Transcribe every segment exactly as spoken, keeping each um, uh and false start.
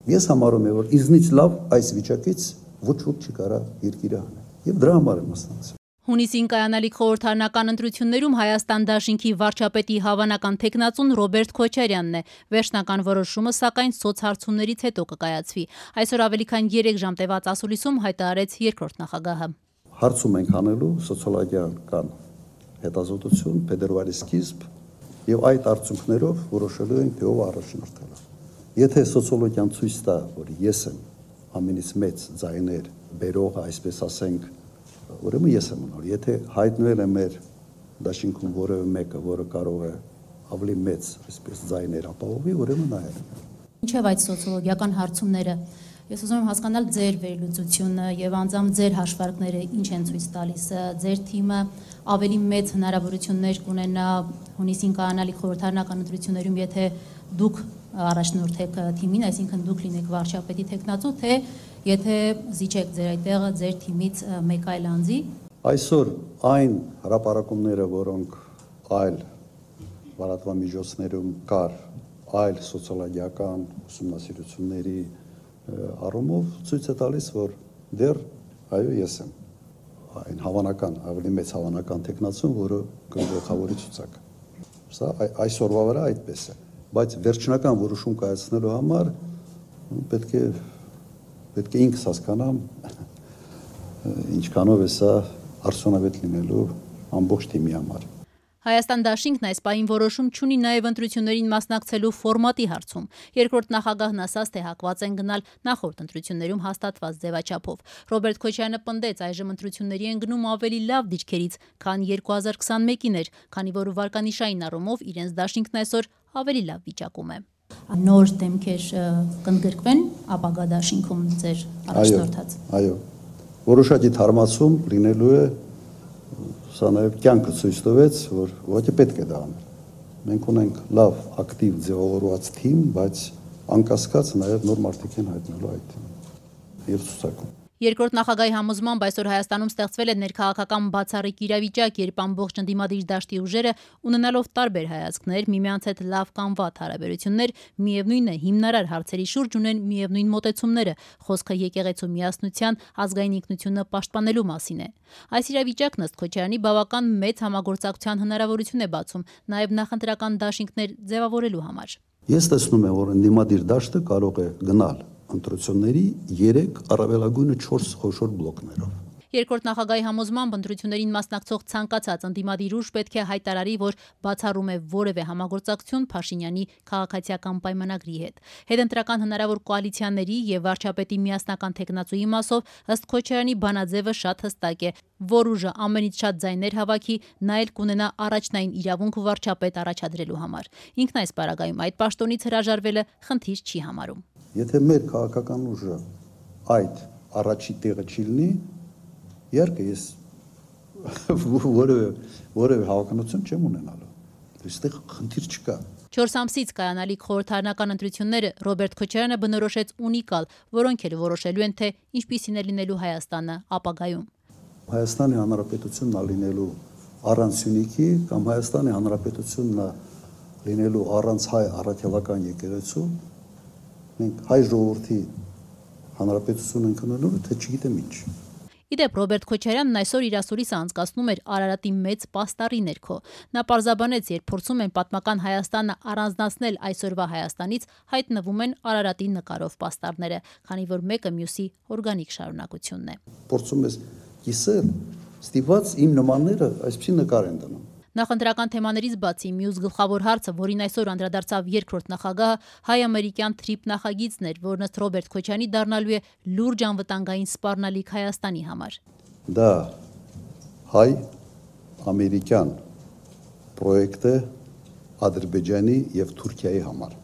Ես համարում եմ, որ ինձնից լավ այս վիճակից ոչ ոք չի կարա երկիրը անել։ Եվ դրա համար եմ մասնակցել։ Հունիսին կայանալիք խորհրդարանական ընտրություններում Հայաստան դաշինքի վարչապետի հավանական թեկնածուն Ռոբերտ Քոչարյանն է։ Վերջնական որոշումը, սակայն սոցհարցումներից հետո կկայացվի։ Այսօր ավելի քան երեք ժամ տևած ասուլիսում հայտարարեց երկրորդ նախագահը։ Հարցում ենք անելու սոցիոլոգիական հետազոտություն փետրվարի սկիզբ եւ այդ արդյունքներով որոշելու ենք թե ով առաջնորդել է։ Եթե սոցիոլոգիան ցույց տա, որ ես եմ ամենից մեծ ձայներ բերողը, այսպես ասենք, ուրեմն ես եմ ունենալ։ Եթե հայտնվել է մեր դաշինքում որևէ մեկը, որը կարող է ավելի մեծ, այսպես ձայներ ապահովի, ուրեմն նա է։ Ինչև այդ սոցիոլոգիական հարցումները, ես ուզում եմ հասկանալ ձեր վերլուծությունը եւ անձամբ ձեր հաշվարկները ինչ են ցույց տալիս։ Ձեր թիմը ավելի մեծ հնարավորություններ կունենա հունիսին կայանալիք խորհրդարանական ընտրություններում, եթե դուք առաջնորդեք թիմին, այսինքն դուք լինեք վարչապետի թեկնածու, թե եթե զիջեք ձեր այդտեղը ձեր թիմից մեկ այլ անձի։ Այսօր այն հրապարակումները, որոնք այլ լրատվամիջոցներում կար, այլ սոցիոլոգիական ուսումնասիրությունների առումով ցույց է տալիս, որ դեռ այո ես եմ այն հավանական, ավելի մեծ հավանական թեկնածուն, որը գլխավորի ցուցակ։ Սա այսօրվա վրա այդպես է, բայց վերջնական որոշում կայացնելու համար պետք է պետք է ինքս հասկանամ ինչքանով է սա արդյունավետ լինելու ամբողջ թիմի համար։ Հայաստան դաշինքն այս պահին որոշում չունի նաև ընտրություններին մասնակցելու ֆորմատի հարցում։ Երկրորդ նախագահն ասաց, թե հակված են գնալ նախորդ ընտրություններում հաստատված ձևաչափով։ Ռոբերտ Քոչարյանը պնդեց, այժմ ընտրությունների են գնում ավելի լավ դիրքերից, քան երկու հազար քսանմեկին էր, քանի որ վարկանիշային առումով իրենց դաշինքն այսօր ավելի լավ վիճակում է։ Նոր դեմքեր կընդգրկվեն ապագա դաշինքում ձեր առաջնորդած։ Այո, որոշակի թարմացում լինելու է։ Սա նաև կյանքը ցույց տվեց, որ ուղղակի պետք է դա անել։ Մենք ունենք լավ, ակտիվ ձևավորված թիմ, բայց անկասկած նաև նոր մարդիկ են հայտնելու այդ թիմում եւ ցուցակում։ Երկրորդ նախագահի համոզմամբ այսօր Հայաստանում ստեղծվել է ներքաղաքական բացառիկ իրավիճակ, երբ ամբողջ ընդդիմադիր դաշտի ուժերը, ունենալով տարբեր հայացքներ, միմյանց հետ լավ կամ վատ հարաբերություններ, միևնույն է հիմնարար հարցերի շուրջ ունեն միևնույն մոտեցումները, խոսքը եկեղեցու միասնության, ազգային ինքնությունը պաշտպանելու մասին է։ Այս իրավիճակն ըստ Քոչարյանի բավական մեծ համագործակցության հնարավորություն է բացում, նաև նախընտրական դաշինքներ ձևավորելու համար։ Ես տեսնում եմ, որ ընդդիմադիր դաշտը կարող է գնալ ընտրությունների երեք առավելագույնը չորս խոշոր բլոկներով։ Երկրորդ նախագահի համոզմամբ ընտրություններին մասնակցող ցանկացած ընդդիմադիր ուժ պետք է հայտարարի, որ բացառում է որևէ համագործակցություն Փաշինյանի քաղաքացիական պայմանագրի հետ։ Հետընտրական հնարավոր կոալիցիաների եւ վարչապետի միասնական թեկնածուի մասով ըստ Քոչարյանի բանաձևը շատ հստակ է, որ ուժը ամենից շատ ձայներ հավաքի, նա էլ կունենա առաջնային իրավունք վարչապետ առաջադրելու համար։ Ինքն այս պարագայում այդ պաշտոնից հրաժարվելը խնդիր չի համարում։ Եթե մեր քաղաքական ուժը այդ առաջի տեղը չի լինի, իհարկե ես որևէ որևէ հավանականություն չեմ ունենալու։ Այստեղ խնդիր չկա։ Չորս ամսից կայանալիք խորհրդարանական ընտրությունները Ռոբերտ Քոչարյանը բնորոշեց ունիկալ, որոնք էլ որոշելու են, թե ինչպիսին է լինելու Հայաստանը ապագայում։ Հայաստանի Հանրապետությունն է լինելու առանց Սյունիքի կամ Հայաստանի Հանրապետությունն է լինելու առանց հայ առաքելական եկեղեցու։ Մենք հայ ժողովրդի հանրապետություն ենք ունենալու, թե չգիտեմ ինչ։ Իդեպ Ռոբերտ Քոչարյանն այսօր իր ասուլիսը անցկացնում էր Արարատի մեծ պաստառի ներքո։ Նա պարզաբանեց, երբ փորձում են պատմական Հայաստանը առանձնացնել այսօրվա Հայաստանից, հայտնվում են Արարատի նկարով պաստառները, քանի որ մեկը մյուսի օրգանիկ շարունակությունն է։ Փորձում ես կիսել, ստիպված իմ նմանները այսպեսի նկար են դնում։ Նախընտրական թեմաներից բացի մյուս գլխավոր հարցը, որին այսօր անդրադարձավ երկրորդ նախագահը, հայ-ամերիկյան թրիփ նախագիծն էր, որն ըստ Ռոբերտ Քոչարյանի դառնալու է լուրջ անվտանգային սպառնալիք Հայաստանի համար։ Դա հայ-ամերիկյան պրոյեկտ է Ադրբեջանի եւ Թուրքիայի համար։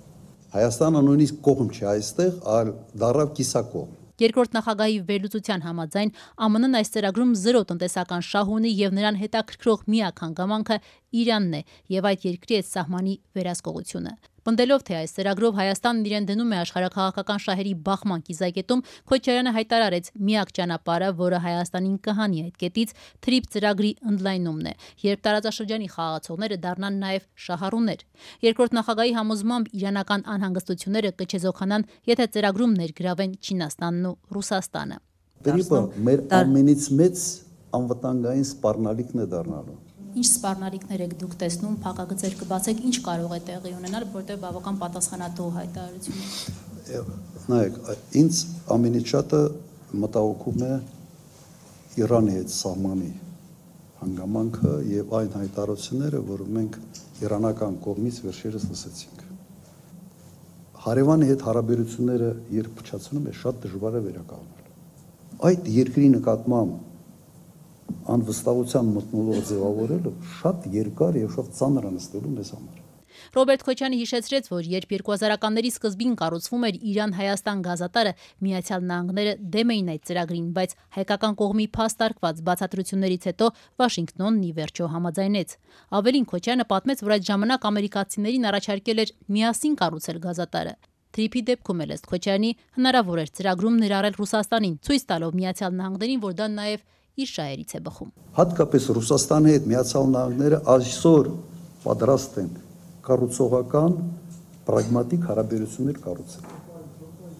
Հայաստանը նույնիսկ կողմ չի այստեղ, այլ դառավ կիսակողմ։ Երկրորդ նախագահի վերլուծության համաձայն ԱՄՆ -ն այս ծրագրում զրո տնտեսական շահ ունի եւ նրան հետաքրքրող միակ հանգամանքը Իրանն է եւ այդ երկրի հետ սահմանի վերահսկողությունը։ Պնդելով, թե այս ծրագրով Հայաստանն իրեն դնում է աշխարհաքաղաքական շահերի բախման կիզակետում, Քոչարյանը հայտարարեց միակ ճանապարհը, որը Հայաստանին կհանի այդ կետից, թրիփ ծրագրի ընդլայնումն է, երբ տարածաշրջանի խաղացողները դառնան նաև շահառուներ։ Երկրորդ նախագահի համոզմամբ իրանական անհանգստությունները կչեզոքանան, եթե ծրագրում ներգրավեն Չինաստանն ու Ռուսաստանը։ Թրիփը մեր ամենից մեծ անվտանգային սպառնալիքն է դառնալու։ Ինչ սպառնալիքներ եք դուք տեսնում, փակագծեր կբացեք, ինչ կարող է տեղի ունենալ, որտեղ բավական պատասխանատու հայտարարություն է։ Նայեք, ինձ ամենից շատը մտահոգում է Իրանի հետ սահմանի հանգամանքը եւ այն հայտարարությունները, որ մենք իրանական կողմից վերջերս լսեցինք։ Հարևանի հետ հարաբերությունները երբ փչացնում է, շատ դժվար է վերականգնել։ Այդ երկրի նկատմամբ անվստահության մթնոլորտ ձևավորելը շատ երկար եւ շատ ծանր անստելու մեզ համար։ Ռոբերտ Քոչյանը հիշեցրեց, որ երբ երկու հազարականների սկզբին կառուցվում էր Իրան-Հայաստան գազատարը, Միացյալ Նահանգները դեմ էին այդ ծրագրին, բայց հայկական կողմի փաստարկված բացատրություններից հետո Վաշինգտոնն ի վերջո համաձայնեց։ Ավելին, Քոչյանը պատմեց, որ այդ ժամանակ ամերիկացիներին առաջարկել էր միասին կառուցել գազատարը։ Թրիփի դեպքում էլ ըստ Քոչյանի հնարավոր էր ծրագրում ներառել Ռուսաստանին, ցույց տալով Միացյալ Նահանգներին, որ դա նաև իր շահերից է բխում։ Հատկապես Ռուսաստանի հետ Միացյալ Նահանգները այսօր պատրաստ են կառուցողական պրագմատիկ հարաբերություններ կառուցել։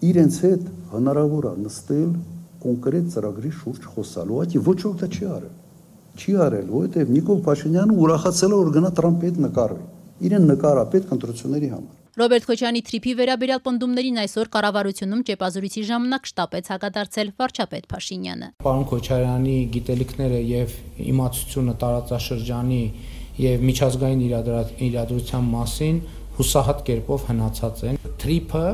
Իրենց հետ հնարավոր է նստել կոնկրետ ծրագրի շուրջ խոսալու, այլ ոչ ոք դա չի արել։ Չի արել, որովհետև Նիկոլ Փաշինյանը ուրախացել է, որ գնա Տրամփի հետ նկարվի։ Իրեն նկարա պետք ընտրությունների համար։ Ռոբերտ Քոչյանի թրիփի վերաբերյալ պնդումներին այսօր կառավարությունում ճեպազրույցի ժամանակ շտապեց հակադարձել վարչապետ Փաշինյանը։ Պարոն Քոչարյանի գիտելիքները եւ իմացությունը տարածաշրջանի եւ միջազգային իրադրության մասին հուսահատ կերպով հնացած են։ Թրիփը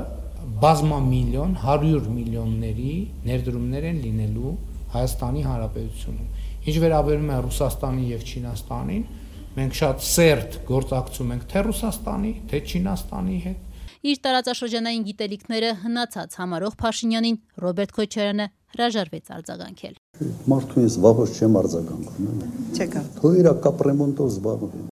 բազմամիլիոն, հարյուր միլիոնների ներդրումներ են լինելու Հայաստանի Հանրապետությունում։ Ինչ վերաբերում է Ռուսաստանին եւ Չինաստանին, մենք շատ սերտ գործակցում ենք թե Ռուսաստանի, թե Չինաստանի հետ։ Իր տարածաշրջանային գիտելիքները հնացած համարող Փաշինյանին Ռոբերտ Քոչարյանը հրաժարվեց արձագանքել։ Մարդու ես վաղուց չեմ արձագանքում։ Չեկա։ Թող իրա կապրեմոնտով զբաղվի։